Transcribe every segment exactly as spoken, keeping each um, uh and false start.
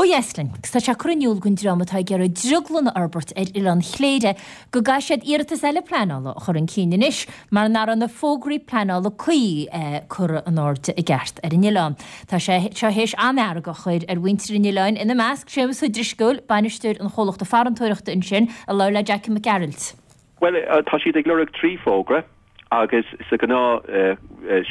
dheas linn, agus tá sé curtha in iúl don dream atá ag iarraidh drioglann a fhorbairt ar Oileán Chléire go gcaithfidh siad iarratas eile pleanála a chur chun cinn anois mar nach raibh na fógraí pleanála cuí curtha in airde i gceart ar an oileán. Tá sé seo théis an-fhearg a chur ar mhuintir an oileáin, ina measc Séamus Ó Drisceoil, bainisteoir an chomhlachta farantóireachta ansin, a labhair le Jackie Mac Gearailt. Bhuel, tá siad ag lorg trí fógra. Agus sa ghnáth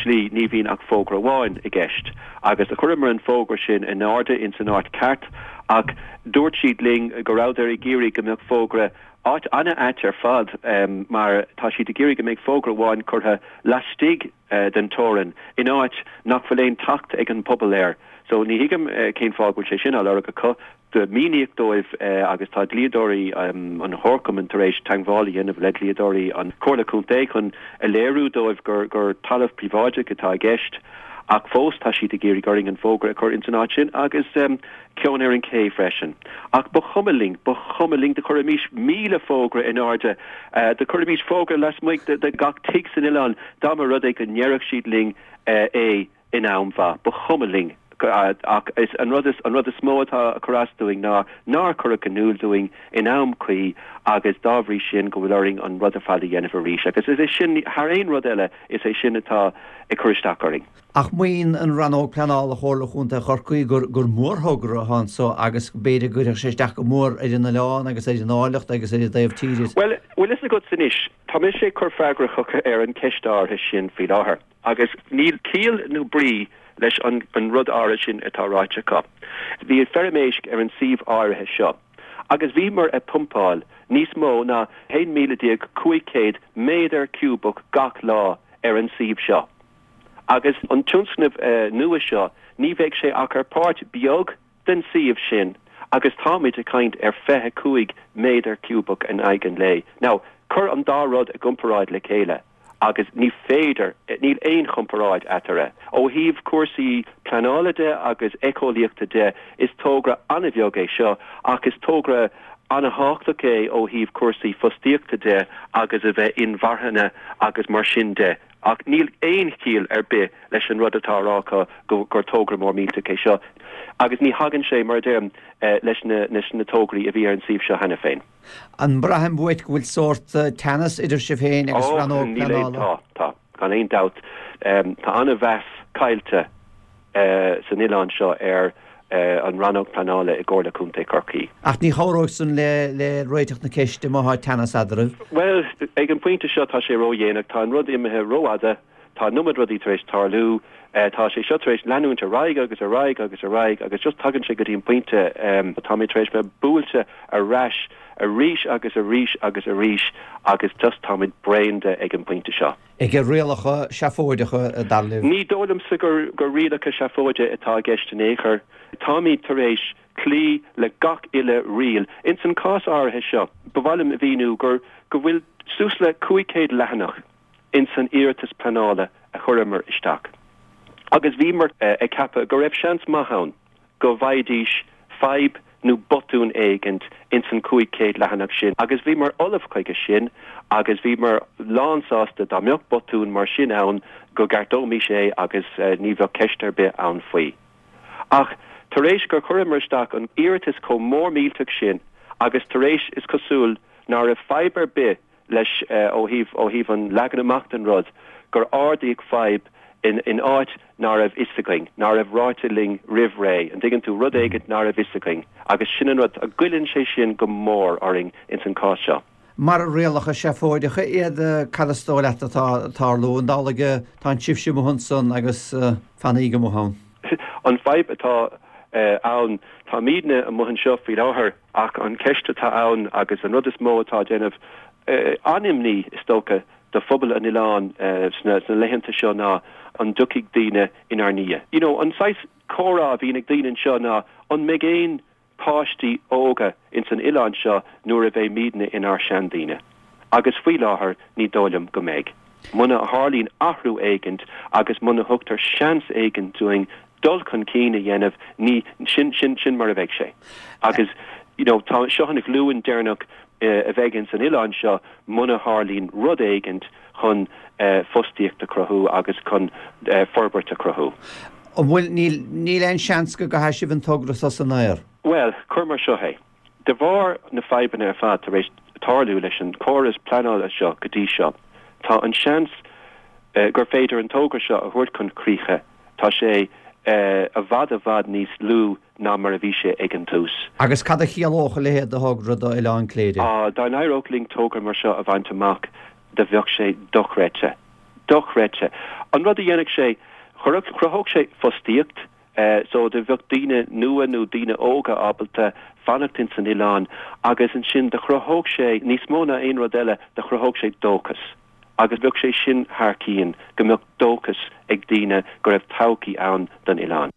slí ní bhíonn ach fógra amháin i gceist. Agus do chuireamar an fógra sin in airde ins an áit ceart ach dúirt siad linn go rabhadar ag iarraidh go mbeadh fógra, áit an-ait ar fad mar tá siad ag iarraidh go mbeidh fógra amháin curtha laistigh den teorainn in áit nach bhfuil aon teacht ag an bpobal air. So ní thuigim cén fáth go bhfuil sé sin á lorg acu. Do míníodh dóibh agus tá dlíodóirí an chomharchumainn tar éis teagmháil a dhéanamh le dlíodóirí an Chomhairle Contae chun a léiriú dóibh gur gur talamh príobháideach atá i gceist ach fós tá siad ag iarraidh orainn an fógra a chur ins an áit sin agus ceann ar an ché freisin. Ach ba chuma linn, ba chuma linn, do chuirfimís míle fógra in airde, do chuirfimís fógra lasmuigh de gach tigh san oileán dá mba rud é go ndéarfadh siad linn é in am mhaith. Ba chuma linn. Ach is an rud is an rud is mó atá ag cur as dúinn ná nár cuireadh in iúl dúinn in am cuí agus dá bhrí sin go bhfuil orainn an rud ar fad a dhéanamh arís. Agus is é sin, thar aon rud eile, is é sin atá ag cur isteach orainn. Ach maíonn an Rannóg Pleanála Chomhairle Chontae Chorcaí gur gur mórthogra atá anso agus b'fhéidir go gcuirfeadh sé isteach go mór ar an oileán agus ar an áilleacht agus ar an dtaobh tíre. Bhuel, bhfuil fhios agat anois, tá mise ag cur freagra chucu ar an cheist áirithe sin faoi láthair agus níl ciall nó brí leis an an rud áirithe sin atá ráite acu. Bhí feirm éisc ar an suíomh áirithe seo agus bhíomar ag pumpáil níos mó ná haon míle déag cúig chéad méadar ciúbach gach lá ar an suíomh seo. Agus an tionscnamh nua seo, ní bheidh sé ach ar páirt beag den suíomh sin agus táimid ag caint ar fiche cúig méadar ciúbach in aghaidh an lae. Now, cuir an dá rud i gcomparáid le chéile. agus ní féidir, níl aon chomparáid eatarthu. Ó thaobh cúrsaí pleanála de agus éiceolaíochta de, is togra an-bheag é seo, ach is togra an-thábhachtach é ó thaobh cúrsaí fostaíochta de agus a bheith inmharthana agus mar sin de. Ach níl aon chiall ar bith leis an rud atá á rá acu gur togra mór millteach é seo agus ní thagann sé, mar a deirim, leis na tograí a bhí ar an suíomh seo cheana féin. An mbraitheann uait go bhfuil sórt teannas idir sibh féin agus rannóg pleanála? Tá, tá, gan aon dabht. Tá an-mheas caillte san oileán seo ar an rannóg pleanála i gComhairle Contae Chorcaí. Ach ní chabhróidh san le le réiteach na ceiste má thá teannas eadraibh. Bhuel, ag an bpointe seo tá sé ródhéanach, tá an rud imithe rófhada. Tá an iomad rudaí tar éis tarlú. Tá sé seo tar éis leanúint ar aghaidh agus ar aghaidh agus ar aghaidh agus just tagann sé go dtí an pointe, táimid tar éis bheith buailte ar ais arís agus arís agus arís agus just táimid bréan de ag an bpointe seo. Ag rialacha seafóideacha, dar libh? Ní dóigh liomsa gur gur rialacha seafóide atá i gceist in aon chor. Táimid tar éis cloí le gach uile riail. Ins an cás áirithe seo, ba mhaith liom a mhíniú gur go bhfuil suas le cúig chéad leathanach ins an iarratas pleanála a chuireamar isteach agus bhíomar ag ceapadh go raibh seans maith ann go bhfaighidís fadhb nó botún éigint ins an cúig chéad leathanach sin agus bhíomar ullamh chuige sin agus bhíomar lánsásta dá mbeadh botún mar sin ann go gceartóimis é agus ní bheadh ceist ar bith ann faoi. Ach tar éis gur chuireamar isteach an iarratas chomh mór millteach sin agus tar éis, is cosúil, ná raibh fadhb ar bith leis ó thaobh ó thaobh an leagan amach den rud, gur ardaíodh fadhb in in áit ná raibh fhios againn, ná raibh ráite linn roimh ré, an dtuigeann tú, rud éigint ná raibh fhios againn agus sin an rud, goilleann sé sin go mór orainn ins an cás seo. Mara rialacha seafóideacha iad, cad is dóigh leat atá ag tarlú? An amhlaidh atánn sibhse amuigh ansan agus fanaíg amuigh ann? An fadhb atá ann, táimidne amuigh anseo faoi láthair ach an cheist atá ann agus an rud is mó atá ag déanamh an-imní, is dócha, do phobal an oileáin sna laethanta seo ná an dtiocfaidh daoine inár ndiaidh. You know, an saghas comhrá a bhíonn ag daoine anseo ná an mbeidh aon páistí óga ins an oileán seo nuair a bheimidne inár seandaoine? Agus faoi láthair ní dóigh liom go mbeidh. Muna tharlaíonn athrú éigint agus muna thugtar seans éigint dúinn dul chun cinn a dhéanamh, ní, sin, sin, sin mar a bheidh sé. Agus, you know, tá, seo an ghlúin deireanach a bheidh ins an oileán seo muna tharlaíonn rud éigint chun fostaíocht a chruthú agus chun forbairt a chruthú. An bhfuil, níl, níl aon seans go gcaithfidh sibh an togra so san aer? Bhuel, Bhuel, cuir mar seo é. De bharr na fadhbanna ar fad tar éis tarlú leis an córas pleanála seo go dtí seo, tá an seans gur féidir an togra seo a thabhairt chun críche, tá sé i bhfad i bhfad níos lú ná mar a bhí sé ag an tús. Agus cad a chiallódh a leithéid de thogra do Oileán Cléire? Á, dá n-éireodh linn togra mar seo a bhaint amach, do bheadh sé dochreidte. Dochreidte. An rud a dhéanfadh sé, chruthódh sé fostaíocht, so do bheadh daoine nua nó daoine óga ábalta fanacht ins an oileán agus ansin do chruthódh sé níos mó ná aon rud eile, do chruthódh sé dóchas. Agus bheadh sé sin thar cionn, go mbeadh dóchas ag daoine go raibh todhchaí ann don oileán.